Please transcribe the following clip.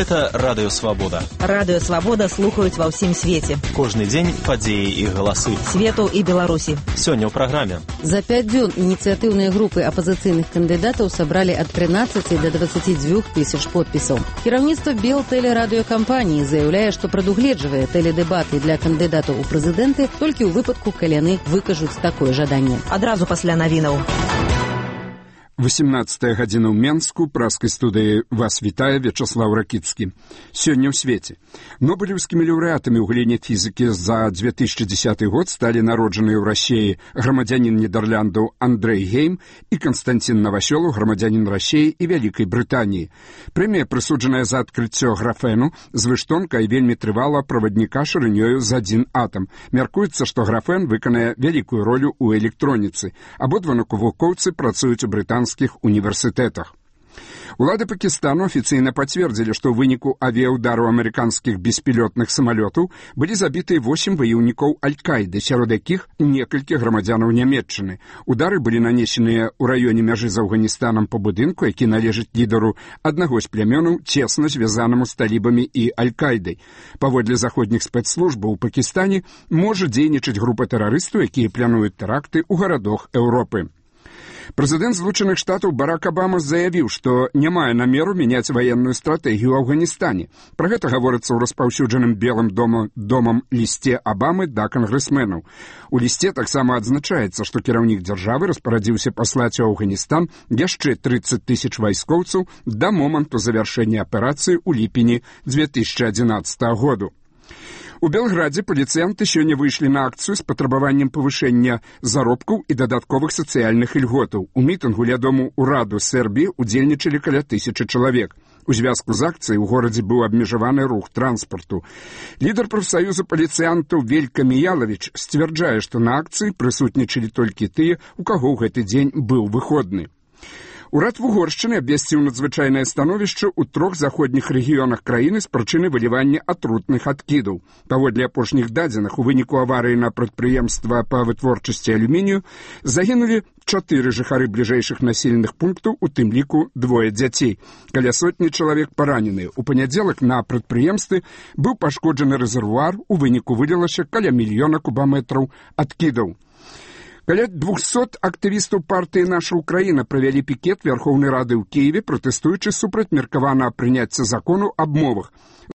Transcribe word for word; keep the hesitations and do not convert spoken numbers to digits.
Гэта Радыё Свабода. Радыё Свабода слухаюць ва ўсім свеце. Кожны дзень падзеі і галасы. Свету і Беларусі. Сёння ў праграме. За пяць дзён ініцыятыўныя групы апазіцыйных кандыдатаў сабралі ад трынаццаці да дваццаці дзвюх тысяч подпісаў. Кіраўніцтва Белтэлерадыёкампаніі заяўляе, што прадугледжвае тэледэбаты для кандыдатаў у прэзідэнты толькі ў выпадку, калі яны выкажуць такое жаданне. Адразу пасля навінаў. восемнадцатая гадзіна ў Менску, праскай студыі вас вітае Вячаслаў Ракіцкі. Сёння ў свеце. Нобелеўскімі лаўрэатамі ў галіне фізікі за две тысячи десятый год сталі народжаныя ў Расіі грамадзянін Нідэрляндаў Андрэй Гейм і Канстантин Новасёлаў, грамадзянін Расіі і Вялікай Брытаніі. Прэмія прысуджаная за адкрыццё графену, звыштонка і вельмі трывала правадніка шырынёю за адзін атам. Мяркуецца, што графен выканае вялікую ролю ў электроніцы. Абодва навукоўцы працуюць у брытанскіх універсітэтах. Улады Пакістану афіцыйна пацвердзілі, што ў выніку авіяўдару амерыканскіх беспілётных самалётаў былі забітыя восем ваяўнікоў Аль-Каіды, сярод якіх некалькі грамадзянаў Нямецчыны. Удары былі нанесеныя ў раёне мяжы з Афганістанам па будынку, які належыць лідару аднаго з плямёнаў, цесна звязанаму з талібамі і Аль-Каідай. Паводле заходніх спецслужбаў у Пакістане можа дзейнічаць група тэрарыстаў, якія плануюць тэракты ў гарадах Еўропы. Прэзідэнт Злучаных Штатаў Барак Абама заявіў, што не мае намеру мяняць ваенную стратэгію ў Афганістане. Пра гэта гаворыцца ў распаўсюджаным Белым домам, домам лісце Абамы да кангрэсменаў. У лісце таксама адзначаецца, што кіраўнік дзяржавы распарадзіўся паслаць у Афганістан яшчэ трыццаць тысяч вайскоўцаў да моманту завяршэння аперацыі ў ліпені две тысячи адзінаццатага году. У Белградзе паліцыянты сёння выйшлі на акцыю з патрабаваннем павышэння заробкаў і дадатковых сацыяльных ільготаў. У мітынгу ля дому ўраду Сербіі удзельнічалі каля тысячы чалавек. У звязку з акцыяй у горадзе быў абмежаваны рух транспарту. Лідар прафсаюза паліцыянтаў Велька Міялавіч сцвярджае, што на акцыі прысутнічалі толькі тыя, у каго ў гэты дзень быў выходны. Урад Вугоршчыны абвясціў надзвычайнае становішча ў трох заходніх рэгіёнах краіны з прычыны вылівання атрутных адкідаў. Паводле апошніх дадзеных, у выніку аварыі на прадпрыемства па вытворчасці алюмінію загінулі чатыры жыхары бліжэйшых населеных пунктаў, у тым ліку двое дзяцей. Каля сотні чалавек параненыя. У панядзелак на прадпрыемстве быў пашкоджаны рэзервуар, у выніку вылілася каля мільёна кубаметраў адкідаў. Каля двухсот актывістаў партыі «Наша Украіна» правялі пікет Верхоўнай Рады ў Кіеве, пратэстуючы супраць меркаванага прыняцця закону аб мовах.